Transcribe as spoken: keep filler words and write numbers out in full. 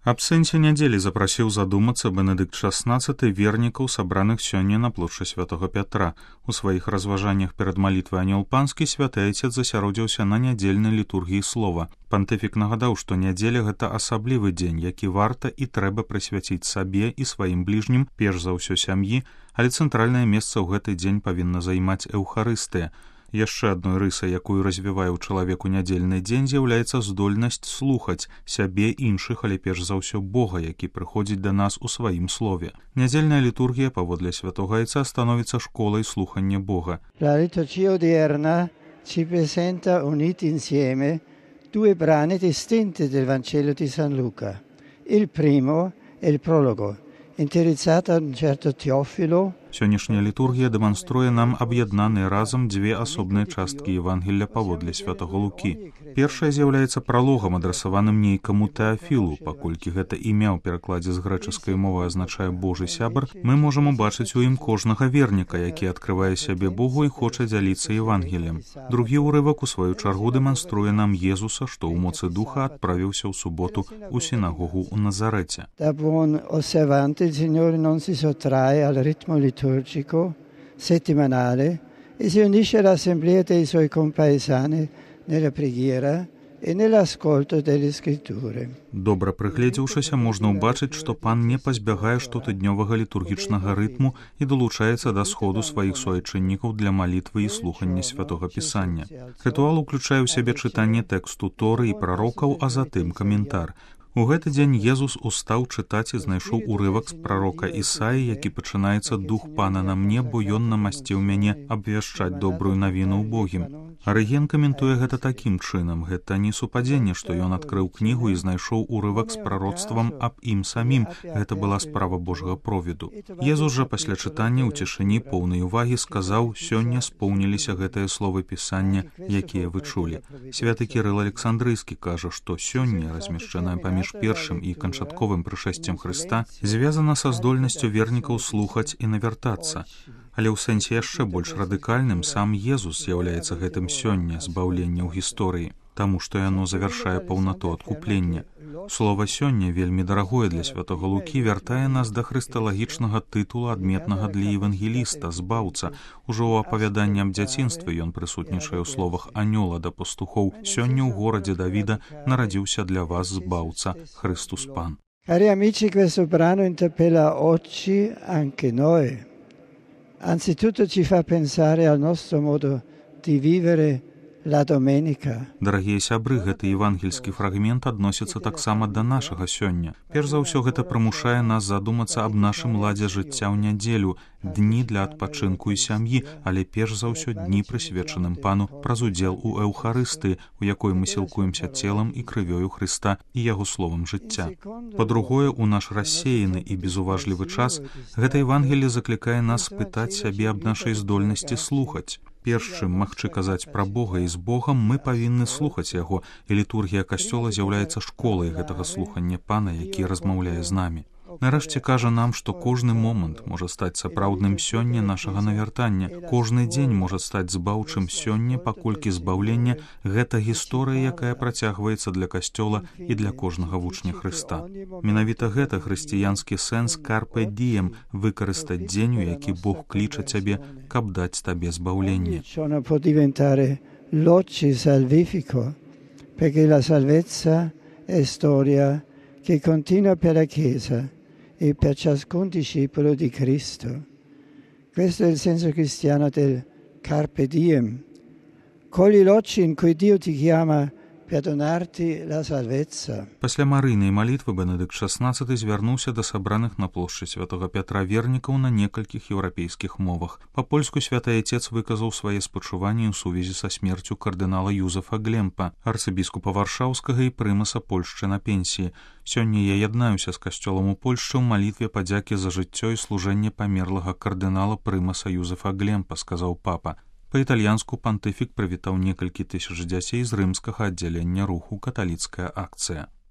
Аб сэнсе нядзелі запрасіў задумацца Бенедыкт шаснаццаты вернікаў, сабраных сёння на плошчы святого Пятра. У сваіх разважаннях перад малітвай анёл панскі святы айцец засяродзіўся на нядзельнай літургіі слова. Пантыфік нагадаў, што нядзеля гэта асаблівы дзень, які варта і трэба прысвяціць сабе і сваім бліжнім, перш за ўсё сям'і, але цэнтральнае месца ў гэты дзень павінна займаць эўхарыстыя. Яшчэ адной рысай, якую развівае ў чалавеку нядзельны дзень, з'яўляецца здольнасць слухаць сябе, іншых, але перш за ўсё Бога, які прыходзіць да нас у сваім слове. Нядзельная літургія, паводле святога айца, становіцца школай слухання Бога. La liturgia odierna ci presenta uniti insieme due brani distinti del Vangelo di San Luca. Il primo è il prologo, interessato a un certo Teofilo. Сённяшняя літургія дэманструе нам аб'яднаныя разам дзве асобныя часткі Евангелля паводле святого Лукі. Першая з'яўляецца пралогам, адрасаваным нейкаму Тэафілу. Паколькі гэта імя ў перакладзе з грэчаскай мовы азначае Божы сябар, мы можам убачыць у ім кожнага верніка, які адкрывае сябе Богу і хоча дзяліцца Евангеллем. Другі ўрывак у сваю чаргу дэманструе нам Езуса, што ў моцы духа адправіўся ў суботу ў сінагогу ў Назарэце. Da buon osservante il Signore non si sottrae al ritmo liturgico settimanale e si unisce all'assemblea dei suoi compaesani nella preghiera e nell'ascolto delle scritture. Добра прыгледзеўшыся, можна ўбачыць, што пан не пазбягае штотыднёвага літургічнага рытму і далучаецца да сходу сваіх суайчыннікаў для малітвы і слухання святога пісання. Рытуал уключае ў сябе чытанне тэксту Торы і прарокаў, а затым каментар. У гэты дзень Езус устаў чытаць і знайшоў урывак з прарока Ісаі, які пачынаецца «Дух пана на мне, бо ён намасціў мяне абвяшчаць добрую навіну ўбогім». Арыген каментуе гэта такім чынам. Гэта не супадзенне, што ён адкрыў кнігу і знайшоў урывак з прароцтвам аб ім самім. Гэта была справа Божага провіду. Езус жа пасля чытання ў цішыні поўнай увагі сказаў: «Сёння споўніліся гэтыя словы пісання, якія вы чулі». Святы Кірыл Александрыйскі кажа, што сёння, размешчаная паміж першым і канчатковым прышэсцем Хрыста, звязана са здольнасцю вернікаў слухаць і навяртацца. Але ў сэнсе яшчэ больш радыкальным сам Езус з'яўляецца гэтым сёння збаўлення ў гісторыі, таму што яно завяршае паўнату адкуплення. Слова «сёння» вельмі дарагое для святога Лукі, вяртае нас да хрысталагічнага тытула, адметнага для евангеліста, збаўца. Ужо ў апавяданні аб дзяцінстве ён прысутнічае ў словах анёла да пастухоў: «Сёння ў горадзе Давіда нарадзіўся для вас збаўца, Христус Пан». Cari amici, questo brano interpella oggi anche noi. Anzitutto ci fa pensare al nostro modo di vivere la domenica. Дарагія сябры, гэты евангельскі фрагмент адносіцца таксама да нашага сёння. Перш за ўсё, гэта прымушае нас задумацца аб нашым ладзе жыцця ў нядзелю, дні для адпачынку і сям'і, але перш за ўсё дні, прысвечаным пану праз удзел у эўхарыстыі, у якой мы сілкуемся целам і крывёю Хрыста і яго словам жыцця. Па-другое, у наш рассеяны і безуважлівы час гэта Евангелле заклікае нас спытаць сябе аб нашай здольнасці слухаць. Перш чым магчы казаць пра Бога і з Богам, мы павінны слухаць яго, і літургія касцёла з'яўляецца школай гэтага слухання пана, які размаўляе з намі. Нарэшце кажа нам, што кожны момант можа стаць сапраўдным сёння нашага навяртання. Кожны дзень можа стаць збаўчым сёння, паколькі збаўлення — гэта гісторыя, якая працягваецца для касцёла і для кожнага вучня Хрыста. Менавіта гэта хрысціянскі сэнс «карпе діем» — выкарыстаць дзень, у які Бог кліча цябе, каб даць табе збаўленне. Ogni può diventare l'oggi salvifico, perché la salvezza è storia che continua per la Chiesa e per ciascun discepolo di Cristo. Questo è il senso cristiano del carpe diem. Cogli l'oggi in cui Dio ti chiama per donarti la salvezza. Пасля марыйнай малітвы Бенедыкт шаснаццаты звярнуўся да сабраных на плошчы святога Пятра вернікаў на некалькіх еўрапейскіх мовах. Па-польску святы айцец выказаў свае спачуванні ў сувязі са смерцю кардынала Юзефа Глемпа, арцыбіскупа Варшаўскага і прымаса Польшчы на пенсіі. Сёння я яднаюся з касцёлам у Польшчы ў малітве падзякі за жыццё і служэнне памерлага кардынала прымаса Юзефа Глемпа, сказаў папа. Па-італьянску пантыфік прывітаў некалькі тысяч дзяцей з рымскага аддзялення руху «Каталіцкая акцыя».